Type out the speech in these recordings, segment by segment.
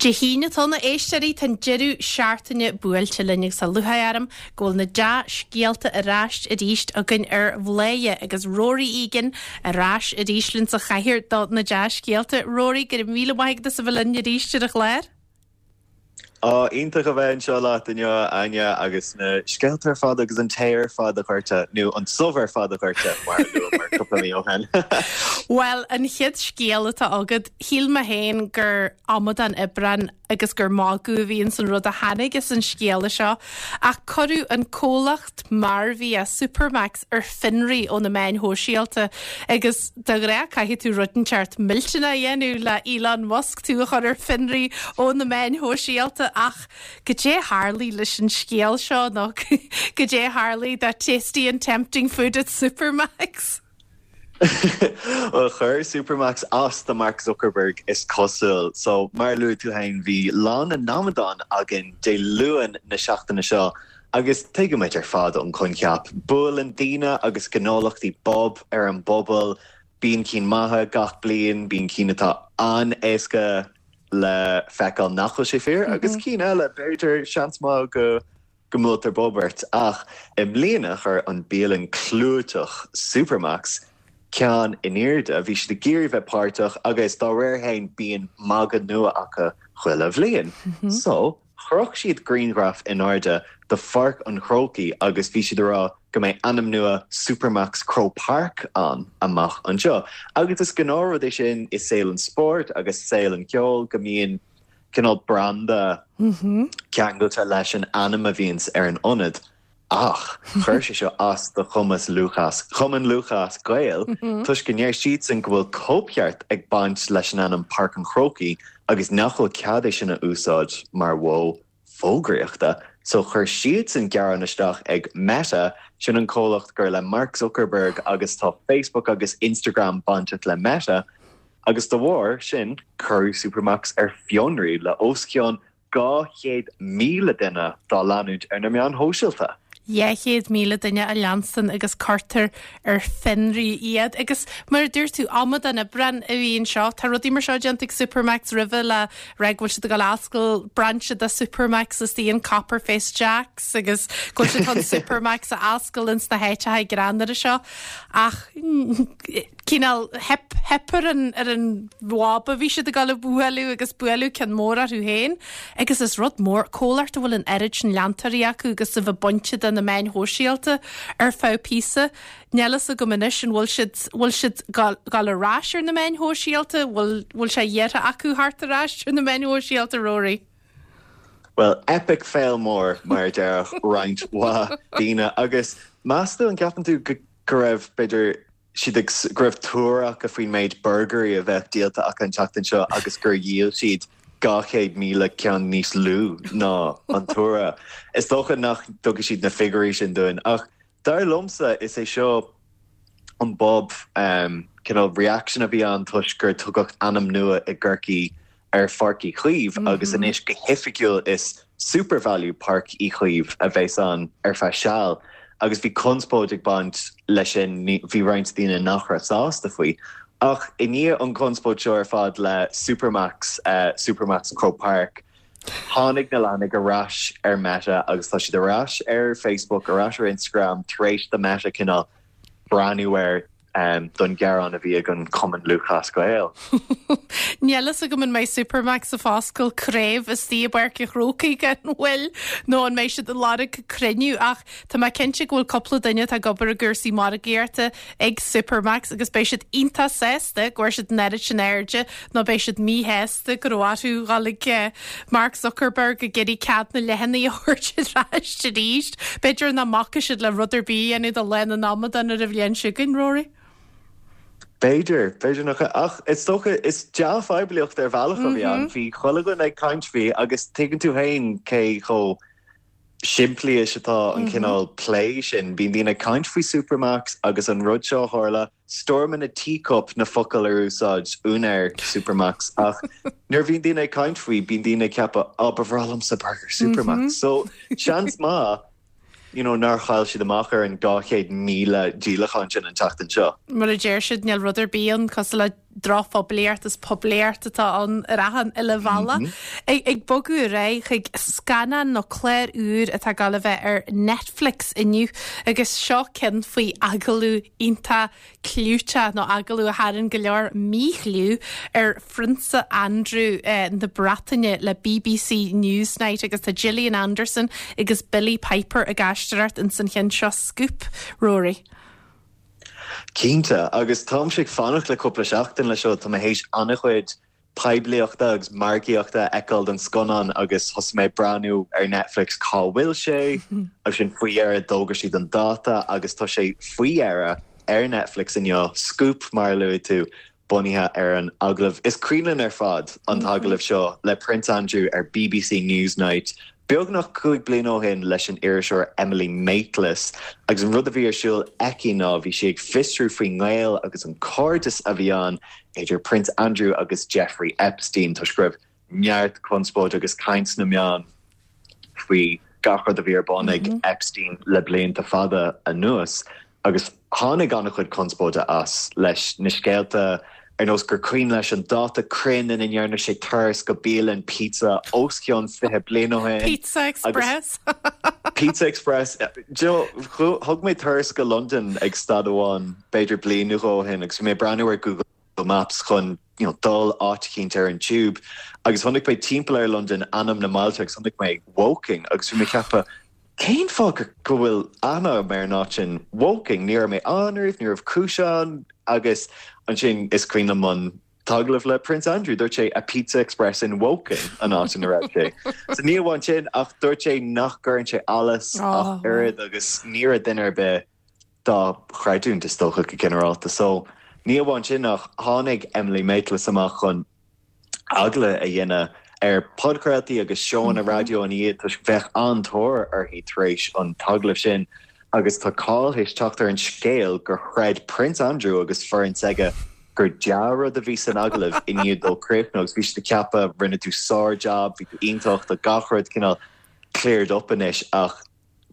Dé hAoine atá ann, a éisteoirí, tá an deireadh seachtaine buailte linn agus tá lúcháir orm go bhfuil na dea-scéalta ar ais arís againn ar Bhladhaire agus Rory Egan ar ais arís linn sa chathaoir do na dea-scéalta. Rory, go raibh míle maith agat as a bheith linn arís ar an chlár. Á, iontach a bheith anseo leat inniu, a Áine, agus na scéalta ar fad agus an tae ar fad a dhoirteadh, nó an subh ar fad a dhoirteadh, mar a luamar cúpla mí ó shin. Bhuel, an chéad scéal atá agat, shíl mé féin gur amadán Aibreán agus gur magadh a bhí ins an rud a tháinig as an scéala seo, ach cuireadh an comhlacht mearbhia Supermacs ar fionraí ó na meáin shóisialta agus de ghnáth caithfidh tú rud inteacht millteanach a dhéanamh le Elon Musk tú a chur ar fionraí ó na meáin shóisialta ach goidé a tharlaigh leis an scéal seo nó goidé a tharlaigh do tasty and tempting food at Supermacs? Bhuel, chuir Supermacs as do Mark Zuckerberg is cosúil. So, mar a luaigh tú féin, bhí Lá na nAmadán againn Dé Luain na seachtaine seo Agus tuigimid ar fad an coincheap. Buaileann daoine agus gnólachtaí bob ar an bpobal. Bíonn cinn maithe gach bliain, bíonn cinn atá an-éasca le feiceáil nach bhfuil sé fíor, agus cinn eile, b'fhéidir, seans maith go go mbuailtear bob ort. Ach i mbliana chuir an bialann clúiteach Supermacs ceann in airde. Bhí siad ag iarraidh bheith páirteach agus dá réir féin bíonn magadh nua acu chuile bhliain. So. Chroch siad grianghraf in airde de Pháirc an Chrócaigh agus bhí siad ag rá go mbeidh ainm nua Supermacs Croke Park ann amach anseo. Agus is gnáthrud é sin i saol an spóirt agus saol an cheoil go mbíonn cineál branda ceangailte leis an ainm a bhíonns ar an ionad. Ach chuir sé seo as do chumas Lúthchleas, Chumann Lúthchleas Gael toisc go ndeir siadsan go bhfuil cóipcheart ag baint leis an ainm Páirc an Chrócaigh agus nach bhfuil cead é sin a úsáid mar mhodh fógraíochta. So chuir siadsan gearán isteach ag Meta, sin an comhlacht gur le Mark Zuckerberg agus tá Facebook agus Instagram bainteach le Meta, agus de bharr sin cuireadh Supermacs ar fionraí le os cionn 200,000 duine dá leanúint ar na meáin shóisialta. 200,000 duine a leanstan agus cuirtear ar fionraí iad. Agus mar a dúirt tú, amadán Aibreán a bhí anseo. Tá rudaí mar seo déanta ag Supermacs roimhe le rá go bhfuil siad ag dul a oscailt brainse de Supermacs istigh in Copper Face Jacks agus go bhfuil siad chun Supermacs a oscailt ins na háiteacha greannmhara seo. Ach cineál theip, theip ar an, ar an bhob a bhí siad ag dul a bhualadh agus buaileadh ceann mór orthu féin. Agus is rud mór, comhlacht a bhfuil an oiread sin leantóirí acu agus a bheith bainte de na meáin shóisialta ar feadh píosa. Níl fhios agam anois an bhfuil siad, bhfuil siad ag dul ar ais ar na meáin shóisialta, bhfuil, bhfuil sé iarrtha acu theacht ar ais ar na meáin shóisialta, Rory? Bhuel, epic fail mór, mar a déarfadh roinnt mhaith daoine. Agus meas tú, an gceapann tú go, go raibh, b'fhéidir, siad ag, go raibh tuar acu faoin méid burgairí a bheadh díolta acu an tseachtain seo agus gur dhíol siad 200,000 ceann níos lú ná an tuar. Is dócha nach dtugfaidh siad na figiúirí sin dúinn ach dar liomsa is é seo an bob, cineál reaction a bhí ann toisc gur tugadh ainm nua i gCorcaigh ar Pháirc Uí Chaoimh agus anois go hoifigiúil is SuperValu Páirc Uí Chaoimh a bheas ann ar feadh seal agus bhí conspóid ag baint leis sin, bhí roinnt daoine nach raibh sásta faoi. Ach i ndiaidh an chonspóid seo ar fad le Supermacs, Supermacs Croke Park, tháinig na leathanaigh ar ais ar Meta agus tá siad ar ais ar Facebook, ar ais ar Instagram tar éis do Meta cineál breathnú air. don ghearán a bhí ag an Chumann Lúthchleas Gael. Níl fhios agam an mbeidh Supermacs ag foscailt craobh istigh i bPáirc an Chrócaigh gan mhoill nó an mbeidh siad ag lorg cruinniú ach tá mé cinnte go bhfuil cúpla duine atá ag obair i gcúrsaí margaíochta ag Supermacs agus beidh siad iontach sásta go bhfuair siad an oiread sin airde nó beidh siad míshásta go raibh orthu dhul ag Mark Zuckerberg ag iarraidh cead na leathanaigh a thabhairt ar ais arís. B'fhéidir nach mbacfaidh siad le rud ar bith a dhéanamh do Lá na nAmadán ar an bhliain seo chugainn, Rory. B'fhéidir, b'fhéidir nach ea. Ach is dócha, is dea-phoiblíocht ar bhealach a bhí ann. Bhí chuile dhuine ag caint faoi agus tuigeann tú féin cé chomh simplí is atá an cineál plé sin. Bíonn daoine ag caint faoi Supermacs agus an rud seo a tharla. Storm in a teacup na focail ar úsáid úinéir Supermacs ach nuair a bhíonn daoine ag caint faoi, bíonn daoine ag ceapadh, oh, ba bhreá liomsa burger Supermacs. So, seans maith, you know, nár chaill siad amach ar an 200,000 díolachán sin an tseachtain seo. Mar a deir siad, níl rud ar bith ann cosúil le. Drochphoiblíocht is poiblíocht atá ann ar achan uile bhealach. Ag bogadh ar aghaidh chuig scannán nó clár úr atá ag gabháil a bheith ar Netflix inniu agus seo ceann faoi agallamh iontach clúiteach nó agallamh a tharraing go leor míchliú ar Phrionsa Andrew na Breataine le BBC Newsnight agus tá Gillian Anderson agus Billie Piper ag aisteoireacht ins an cheann seo Scoop, Rory. Cinnte, agus táimse ag fanacht le cúpla seachtain le seo, tá mé théis an-chuid poiblíochta agus margaíochta a fheiceáil don scannán agus thosaigh mé ag breathnú ar Netflix cá bhfuil sé agus ansin faoi dheireadh d'fhógair siad an dáta agus tá sé faoi dheireadh ar Netflix inniu, Scoop mar a luaigh tú. bunaithe ar an agallamh. Is cuimhin linn ar fad an t-agallamh seo le Prince Andrew ar BBC Newsnight beagnach 5 bliana ó shin leis an iriseoir Emily Maitlis agus an rud a bhí ar siúl aici ná bhí sí ag fiosrú faoin ngaol agus an cairdeas a bhí ann idir Prince Andrew agus Jeffrey Epstein toisc go raibh neart conspóide agus caint sna meáin faoi gach rud a bhí ar bun ag Epstein le blianta fada anuas agus tháinig an-chuid conspóide as leis na scéalta ar nós gur cuimhin leis an dáta cruinn ina ndearna sé turas go bialann pizza os cionn 20 bliain ó shin. Pizza Express. Pizza Express. Thug mé turas go Londain ag staid amháin b'fhéidir bliain nó dhó ó shin agus bhí mé ag breathnú ar Google Maps chun you know, dul áit eicínt ar an tube agus chonaic mé timpeall ar Londain ainm na mbailte agus chonaic mé Woking agus bhí mé ag ceapadh cén fáth go bhfuil aithne agam ar an áit sin Woking, ní raibh mé ann riamh, ní raibh cúis ann agus ansin is cuimhin liom an t-agallamh le Prince Andrew, dúirt sé a Pizza Express in Woking an áit ina raibh sé. So ní amháin sin ach dúirt sé nach gcuireann sé allas ach oiread agus ní raibh duine ar bith dá chreidiúint, is dócha, go ginearálta. So, ní amháin sin ach tháinig Emily Maitlis amach chun agallamh a dhéanamh ar podchraoltaí agus seóanna raidió ina dhiaidh toisc bheadh an-tóir uirthi tar éis an t-agallamh sin agus tá cáil théis teacht ar an scéal gur chreid Prince Andrew agus foireann s'aige gur dea-rud a bhí san agallamh i ndiaidh dó críochnú agus bhí siad ag ceapadh rinne tú sár-jab, bhí tú iontach, tá gach rud cineál cleared up anois ach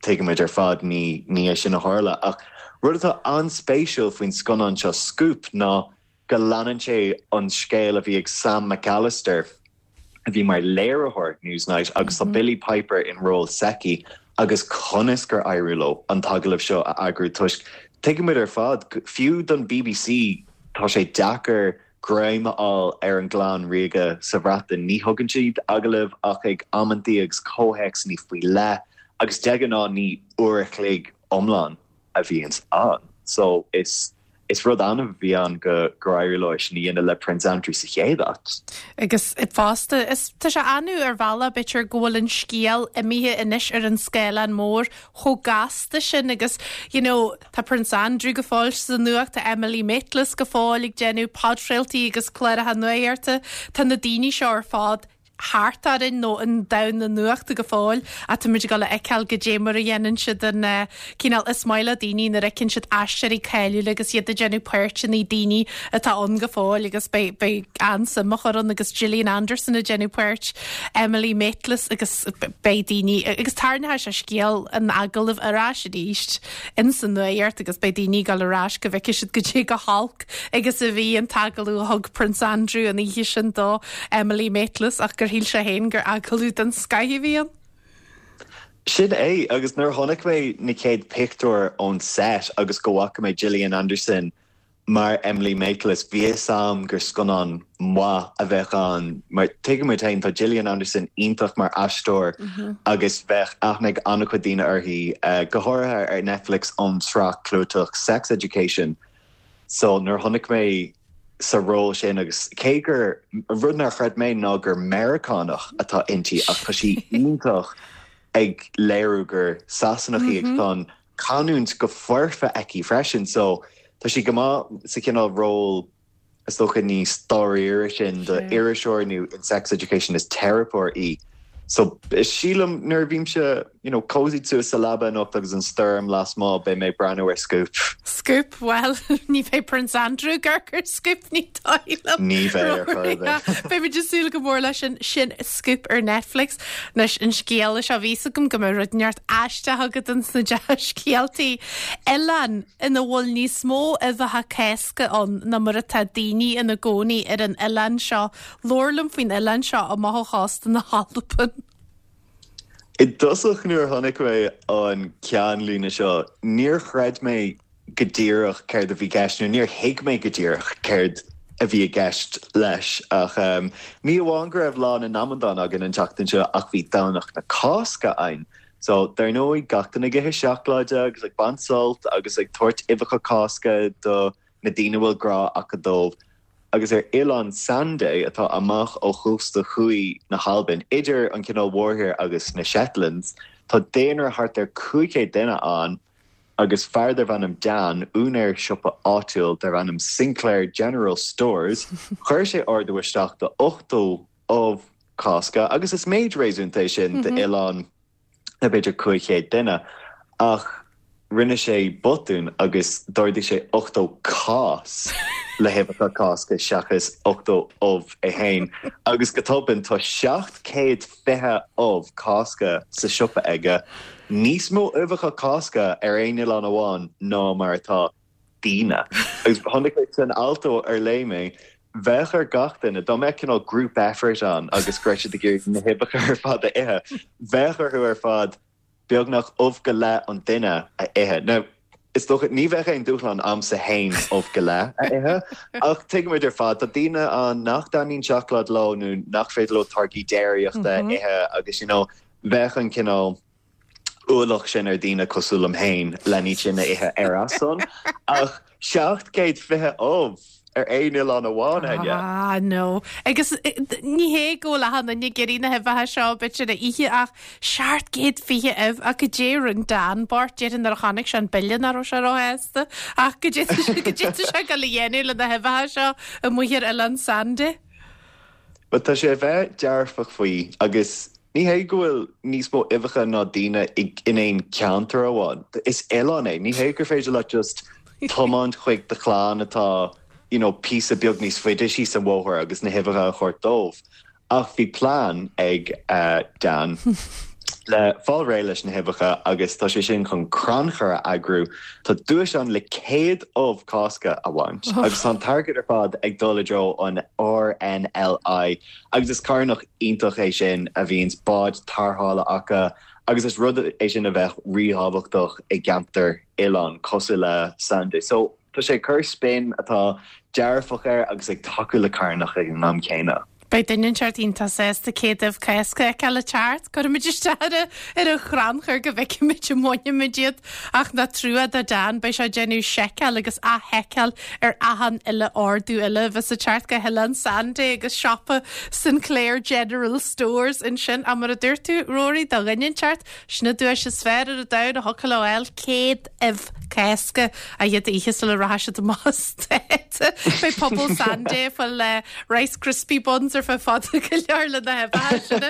Tuigimid ar fad ní ní é sin a tharla. Ach rud atá an-spéisiúil faoin scannán seo, Scoop, ná go leanann sé an scéal a bhí ag Sam McAllister, a bhí mar léiritheoir Newsnight, agus tá Billie Piper in ról s'aici, agus conas gur éirigh leo an t-agallamh seo a eagrú toisc tuigimid ar fad, fiú don bbc, tá sé deacair greim a fháil ar an gclann ríoga sa Bhreatain. Ní thugann siad agallaimh ach ag amantaí agus comhthéacsanna faoi leith agus de ghnáth ní uair a chloig iomlán a bhíonns ann. So is is rud annamh a bhí ann go gur éirigh leo é sin a dhéanamh le Prince Andrew sa chéad áit. Agus fosta, is tá sé annamh ar bhealach b'fhéidir go bhfuil an scéal imithe anois ar an scáileán mór chomh gasta sin agus you know tá Prince Andrew go fóill sa nuacht, tá Emily Maitlis go fóill ag déanamh podchraoltaí agus cláracha nuachta, tá na daoine seo ar fad thart orainn nó i ndomhan na nuachta go fóill ach tá muid ag dul a fheiceáil goidé mar a dhéanann siad an cineál is maith le daoine nuair a fheiceann siad aisteoirí cáiliúla agus iad ag déanamh páirteanna daoine atá ann go fóill agus beidh beidh an-suim á chur ann agus Gillian Anderson ag déanamh páirt Emily Maitlis agus beidh daoine agus tarraingeoidh sé scéal an agallaimh ar ais arís ins an nuacht agus beidh daoine ag dul ar ais go bhfeicfidh siad goidé chomh holc agus a bhí an t-agallamh a thug Prince Andrew an oíche sin do Emily Maitlis ach gur shíl sé féin gur agallamh den scoith a bhí ann. Sin é, agus nuair a chonaic mé na chéad pictiúir ón set agus go bhfaca mé Gillian Anderson Mar Emily Maitlis, bhí a fhios a'm gur scannán maith a bheadh ann mar tuigimid féin, tá Gillian Anderson iontach mar aisteoir agus bheadh aithne ag an-chuid daoine uirthi, go háirithe ar Netflix ón tsraith clúiteach Sex Education. So nuair a chonaic mé sa ról sin agus cé gur, rud nár chreid mé ná gur Meiriceánach atá inti ach tá sí iontach ag léiriú gur Sasanach í agus tá an canúint go foirfe aici freisin so tá sí go maith sa chineál ról is dócha níos dáiríre sin do iriseoir nó in Sex Education is teiripeoir í. So sílim nuair a bhímse. you know, cozied suas sa leaba anocht agus an stoirm lasmuigh, beidh mé ag breathnú ar Scoop. Scoop? Bhuel, ní bheidh Prince Andrew ag amharc ar Scoop, ní dóigh liom. Ní bheidh ar chor ar bith. Beidh muid ag súil go mór leis sin, sin Scoop ar Netflix. Anois, an scéal seo, bhí fhios agam go mbeadh rud inteacht aisteach agat ins na dea-scéaltaí. Oileán ina bhfuil níos mó uibheacha Cásca ann ná mar atá daoine ina gcónaí ar an oileán seo. Labhair liom faoin oileán seo amach ó chósta na hAlban. I dtosach nuair a chonaic mé an ceannlíne seo, níor chreid mé go díreach céard a bhí i gceist, nó níor thuig mé go díreach céard a bhí i gceist leis. Ach ní amháin go raibh Lá na nAmadán againn an tseachtain seo, ach bhí Domhnach na Cásca ann. So, dar ndóigh, gach duine ag ithe seacláide agus ag baint sult agus ag tabhairt uibheacha Cásca do na daoine a bhfuil grá acu dóibh. agus ar Oileán Sanday, atá amach ó chósta thuaidh na hAlban, idir an cineál mhórthír agus na Shetlands, tá daonra thart ar 500 duine ann, agus fear darbh ainm Dan, úinéir siopa áitiúil darbh ainm Sinclair General Stores, chuir sé ordú isteach do 80 ubh Cásca, agus is méid réasúnta é sin d'oileán. le b'fhéidir 500 duine, ach rinne sé botún agus d'ordaigh sé 80 cás le huibheacha Cásca seachas 80 ubh é féin, agus go tobann tá 720 ubh Cásca sa siopa aige, níos mó uibheacha Cásca ar aon oileán amháin ná mar atá. daoine. Agus chonaic mé san alt ar léigh mé, bheadh ar gach duine, dá mbeadh cineál group effort ann agus go raibh siad ag iarraidh na huibheacha ar fad a ithe, bheadh orthu ar fad beagnach ubh go leith an duine a ithe. Now, is dócha, ní bheadh aon dúshlán a'msa fhéin ubh go leith a ithe, ach tuigimid ar fad, tá daoine ann nach dtaitníonn seacláid leo nó nach féidir leo táirgí déiríochta a ithe agus, you know, bheadh an cineál, ualach sin ar daoine cosúil liom féin len iad sin a ithe ar a son, ach 720 ubh ar aon oileán amháin, Áine. Ah, no. Agus ní hé go bhfuil achan duine ag iarraidh na huibheacha seo b'fhéidir a ithe ach 720 ubh ach goidé a rinne Dan bocht, déarfainn nuair a chonaic sé an bille nach raibh sé róshásta ach goidé goidé tá sé ag dul a dhéanamh le na huibheacha seo amuigh ar Oileán Sanday. But tá sé a bheith dearfach faoi agus ní hé go bhfuil níos mó uibheacha ná daoine in aon ceantar amháin. Is oileán é. Ní hé gur féidir leat just tiomáint chuig do chlann atá you know píosa beag níos faide síos an bhóthar agus na huibheacha a thabhairt dóibh. Ach bhí plean ag Dan le fáil réidh leis na huibheacha agus tá sé sin chun crannchur a eagrú. Tá duais ann le 100 ubh Cásca a bhaint agus tá an t-airgead ar fad ag dul i dtreo an RNLI agus is carthanacht iontach é sin a bhíonns báid tarrthála acu agus is rud é sin a bheadh ríthábhachtach i gceantar oileáin cosúil le Sanday. So tá sé ag cur spin atá dearfach air agus ag tacú le carthanacht ag an am céanna. Beidh duine inteacht iontach sásta 100 ubh Cásca a fheiceáil ag teacht. Cuirfimid isteach ar ar an chrannchur go bhfeicfimid an mbainfimid iad. Ach nach trua do Dan, beidh sé ag déanamh seiceáil agus athsheiceáil ar achan uile ordú eile a bheas ag teacht go hOileán Sanday agus siopa Sinclair General Stores ansin. Ach mar a dúirt tú, Rory, do dhuine inteacht, sin an duais is fearr ar an domhan a thiocfadh leo a fháil, 100 ubh Cásca a iad a ithe sula rachaidh siad amach as dáta. Beidh pobal Sanday ag fáil Rice Krispie buns ar feadh fada go leor le na huibheacha sin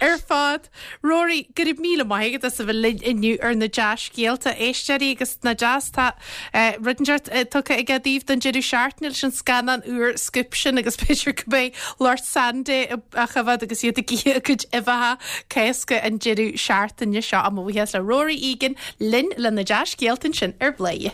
ar fad. Rory, go raibh míle maith agat as a bheith linn inniu ar na dea-scéalta, éisteoirí agus na deas tá rud inteacht tugtha aige daoibh don deireadh seachtaine leis an scannán úr Scoop sin agus b'fhéidir go mbeidh lucht Sanday á choimhéad agus iad ag ithe a gcuid uibheacha Cásca an deireadh seachtaine seo. Mo bhuíochas le Rory Egan linn le na dea-scéalta ansin ar Bhladhaire.